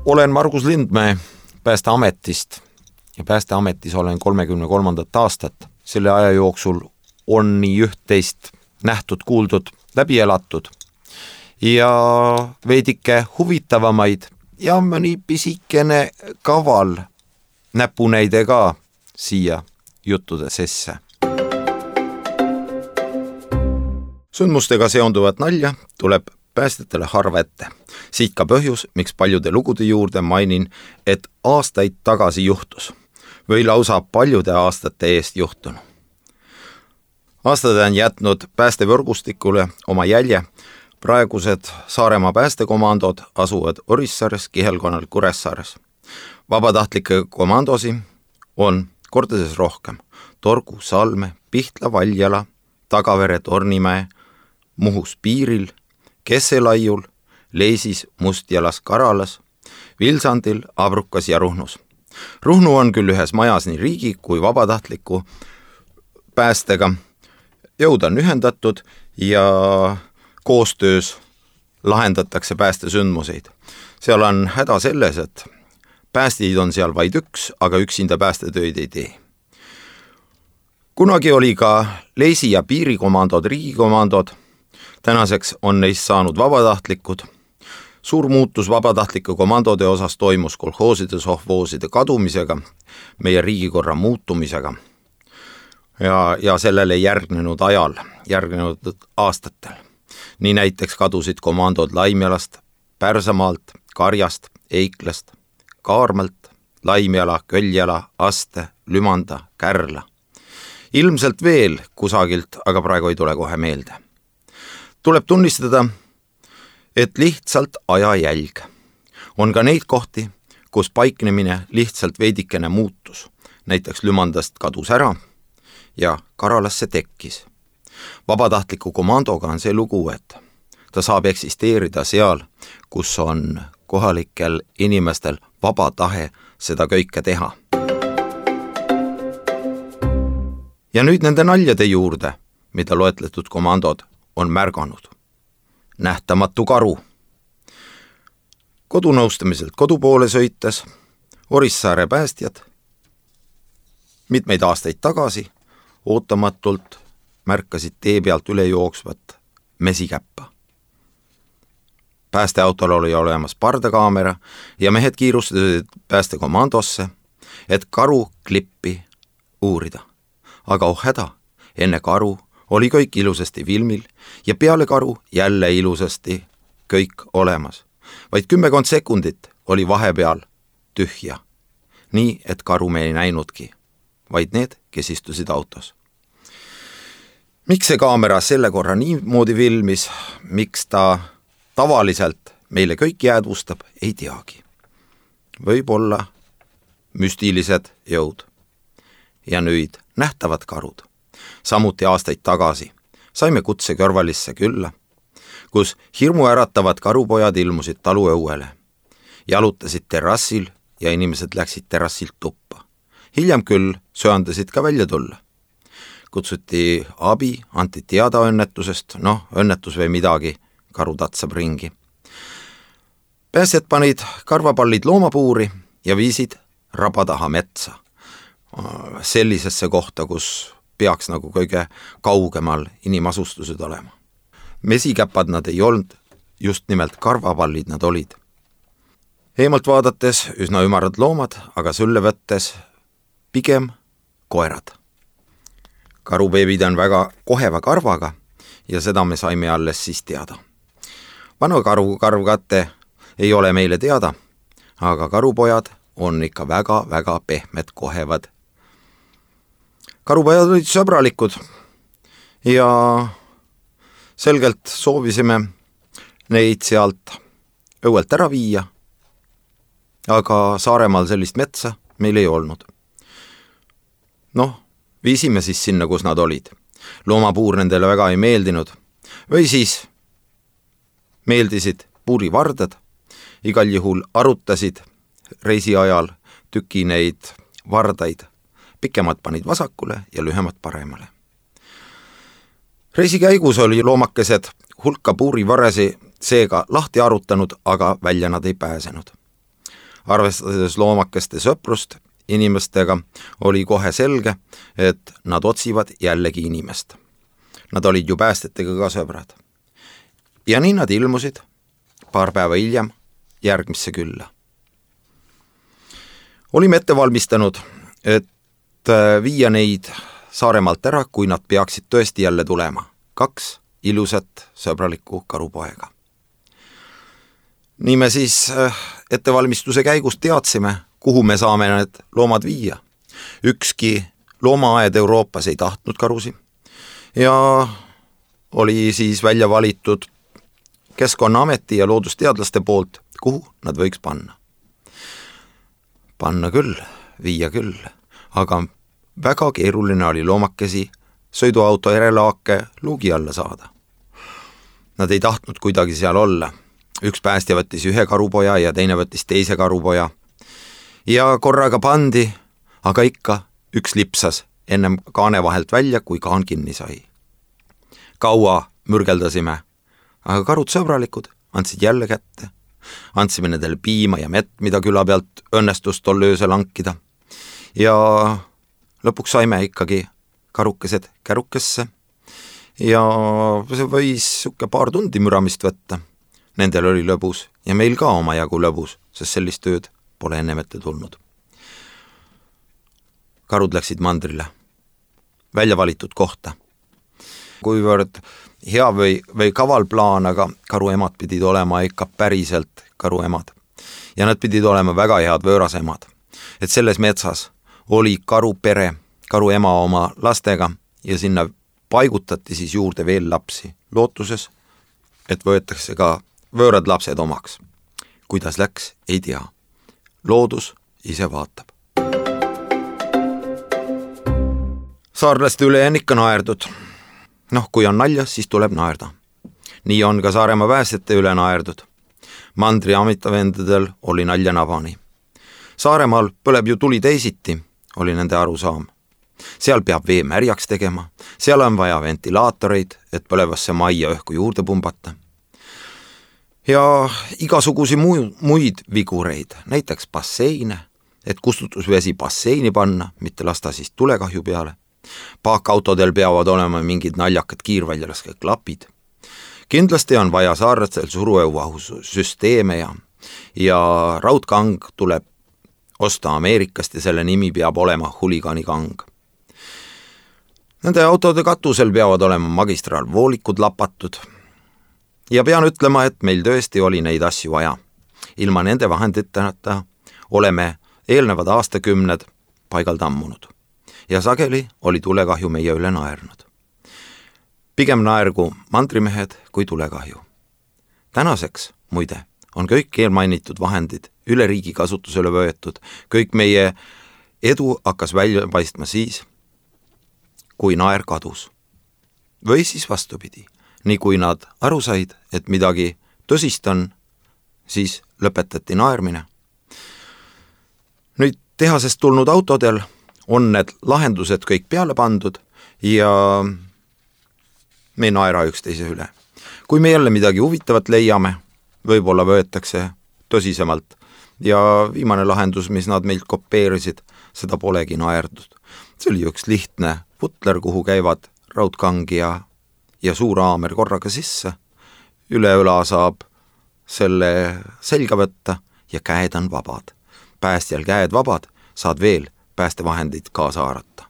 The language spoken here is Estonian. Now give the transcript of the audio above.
Olen Margus Lindmäe Päästeametist ja Päästeametis olen 33. aastat. Selle aja jooksul on nii üht-teist nähtud, kuuldud, läbi elatud ja veidike huvitavamaid ja mõni pisikene kaval näpunäide ka siia juttude sisse. Sündmustega seonduvat nalja tuleb päästjatele harva ette. Siit ka põhjus, miks paljude lugude juurde mainin, et aastaid tagasi juhtus või lausa paljude aastate eest juhtunu. Aastad on jätnud päästevõrgustikule oma jälje. Praegused Saaremaa päästekomandod asuvad Orissaares, Kihelkonnal, Kuressaares. Vabatahtlikke komandosi on kordades rohkem. Torgu, Salme, Pihtla, Valjala, Tagavere, Tornimäe, Muhus piiril, Kesselaiul, Leisis, Mustjalas, Karalas, Vilsandil, Abrukas ja Ruhnus. Ruhnu on küll ühes majas nii riigi kui vabatahtliku päästega. Jõud on ühendatud ja koostöös lahendatakse päästesündmuseid. Seal on häda selles, et päästjaid on seal vaid üks, aga üksinda päästetöid ei tee. Kunagi oli ka Leisi ja piirikomandod, riigikomandod. Tänaseks on neist saanud vabatahtlikud. Suur muutus vabatahtlike komandode osas toimus kolhooside, sohvooside kadumisega, meie riigikorra muutumisega ja sellele järgnenud ajal, järgnenud aastatel. Nii näiteks kadusid komandod Laimjalast, Pärsamaalt, Karjast, Eiklast, Kaarmalt, Laimjala, Köljala, Aste, Lümanda, Kärla. Ilmselt veel kusagilt, aga praegu ei tule kohe meelde. Tuleb tunnistada, et lihtsalt ajajälg. On ka neid kohti, kus paiknemine lihtsalt veidikene muutus. Näiteks Lümandast kadus ära ja Karalasse tekkis. Vabatahtliku komandoga on see lugu, et ta saab eksisteerida seal, kus on kohalikel inimestel vaba tahe seda kõike teha. Ja nüüd nende naljade juurde, mida loetletud komandod on märganud. Nähtamatu karu. Kodunõustamiselt kodu poole sõites Orissaare päästjad mitmeid aastaid tagasi ootamatult märkasid tee pealt üle jooksvat mesikäppa. Päästeautol oli olemas pardakaamera ja mehed kiirustasid päästekomandosse, et karu klippi uurida. Aga häda, enne karu oli kõik ilusasti filmil ja peale karu jälle ilusasti kõik olemas. Vaid 10 sekundit oli vahepeal tühja. Nii, et karu me ei näinudki, vaid need, kes istusid autos. Miks see kaamera selle korra niimoodi filmis, miks ta tavaliselt meile kõik jäädvustab, ei teagi. Võib-olla müstilised jõud. Ja nüüd nähtavad karud. Samuti aastaid tagasi saime kutse Kõrvalisse külla, kus hirmuäratavad karupojad ilmusid taluõuele. Jalutasid terrassil ja inimesed läksid terrassilt tuppa. Hiljem küll söandasid ka välja tulla. Kutsuti abi, anti teada õnnetusest, õnnetus või midagi, karu tatsab ringi. Päästjad panid karvapallid loomapuuri ja viisid raba taha metsa. Sellisesse kohta, kus peaks nagu kõige kaugemal inimasustused olema. Mesikäpad nad ei olnud, just nimelt karvapallid nad olid. Eemalt vaadates üsna ümarad loomad, aga sülle võttes pigem koerad. Karubeebid on väga koheva karvaga ja seda me saime alles siis teada. Vana karvkatte ei ole meile teada, aga karupojad on ikka väga pehmed kohevad. Karupojad olid sõbralikud ja selgelt soovisime neid sealt õuelt ära viia, aga Saaremaal sellist metsa meil ei olnud. Viisime siis sinna, kus nad olid. Loomapuur nendele väga ei meeldinud või siis meeldisid puurivardad, igal juhul arutasid reisi ajal tüki neid vardaid. Pikemad panid vasakule ja lühemad paremale. Reisi käigus oli loomakesed hulka puurivaresi seega lahti arutanud, aga välja nad ei pääsenud. Arvestades loomakeste sõprust inimestega, oli kohe selge, et nad otsivad jällegi inimest. Nad olid ju päästetega ka sõbrad. Ja nii nad ilmusid paar päeva hiljem järgmisse külla. Olime ette valmistanud, et viia neid Saaremaalt ära, kui nad peaksid tõesti jälle tulema. 2 ilusat sõbralikku karupoega. Nii me siis ettevalmistuse käigus teadsime, kuhu me saame need loomad viia. Ükski loomaaed Euroopas ei tahtnud karusi ja oli siis välja valitud Keskkonnaameti ja loodusteadlaste poolt, kuhu nad võiks panna. Panna küll, viia küll, aga väga keeruline oli loomakesi sõiduauto järelaake luugi alla saada. Nad ei tahtnud kuidagi seal olla. Üks päästja võttis ühe karupoja ja teine võttis teise karupoja. Ja korraga pandi, aga ikka üks lipsas ennem kaane vahelt välja, kui kaan kinni sai. Kaua mürgeldasime, aga karud sõbralikud andsid jälle kätte. Andsime nendele piima ja mett, mida küla pealt õnnestus tol öösel hankida. Ja lõpuks saime ikkagi karukesed kärukesse ja see võis paar tundi müramist võtta. Nendel oli lõbus ja meil ka omajagu lõbus, sest sellist tööd pole ennem ette tulnud. Karud läksid mandrile, välja valitud kohta. Kuivõrd hea või kaval plaan, aga karuemad pidid olema ikka päriselt karuemad. Ja nad pidid olema väga head võõrasemad. Et selles metsas oli karupere, karuema oma lastega ja sinna paigutati siis juurde veel lapsi, lootuses, et võetakse ka võõrad lapsed omaks. Kuidas läks, ei tea. Loodus ise vaatab. Saarlaste üle on ikka naerdud. Kui on naljas, siis tuleb naerda. Nii on ka Saaremaa päästjate üle naerdud. Mandri amitavendadel oli nalja nabani. Saaremaal põleb ju tuli teisiti, oli nende arusaam. Seal peab vee märjaks tegema, seal on vaja ventilaatoreid, et põlevasse majja õhku juurde pumbata. Ja igasugusi muid vigureid, näiteks basseine, et kustutusvesi basseini panna, mitte lasta siis tulekahju peale. Paakautodel peavad olema mingid naljakad kiirväljalaske klapid. Kindlasti on vaja saarlastel suruõuvahussüsteeme ja raudkang tuleb osta Ameerikast ja selle nimi peab olema huliganikang. Nende autode katusel peavad olema magistraalvoolikud lapatud. Ja pean ütlema, et meil tõesti oli neid asju vaja. Ilma nende vahenditeta oleme eelnevad aastakümned paigal tammunud. Ja sageli oli tulekahju meie üle naernud. Pigem naergu mandrimehed kui tulekahju. Tänaseks, muide, on kõik eelmainitud vahendid üle riigi kasutusele võetud. Kõik meie edu hakkas välja paistma siis, kui naer kadus. Või siis vastupidi. Nii kui nad aru said, et midagi tõsist on, siis lõpetati naermine. Nüüd tehasest tulnud autodel on need lahendused kõik peale pandud ja me ei naera üksteise üle. Kui me jälle midagi huvitavat leiame, võib-olla võetakse tõsisemalt ja viimane lahendus, mis nad meilt kopeerisid, seda polegi naerdud. See oli üks lihtne putler, kuhu käivad raudkang ja suur haamer korraga sisse. Üle õla saab selle selga võtta ja käed on vabad. Päästjal käed vabad, saad veel päästevahendid kaasa haarata.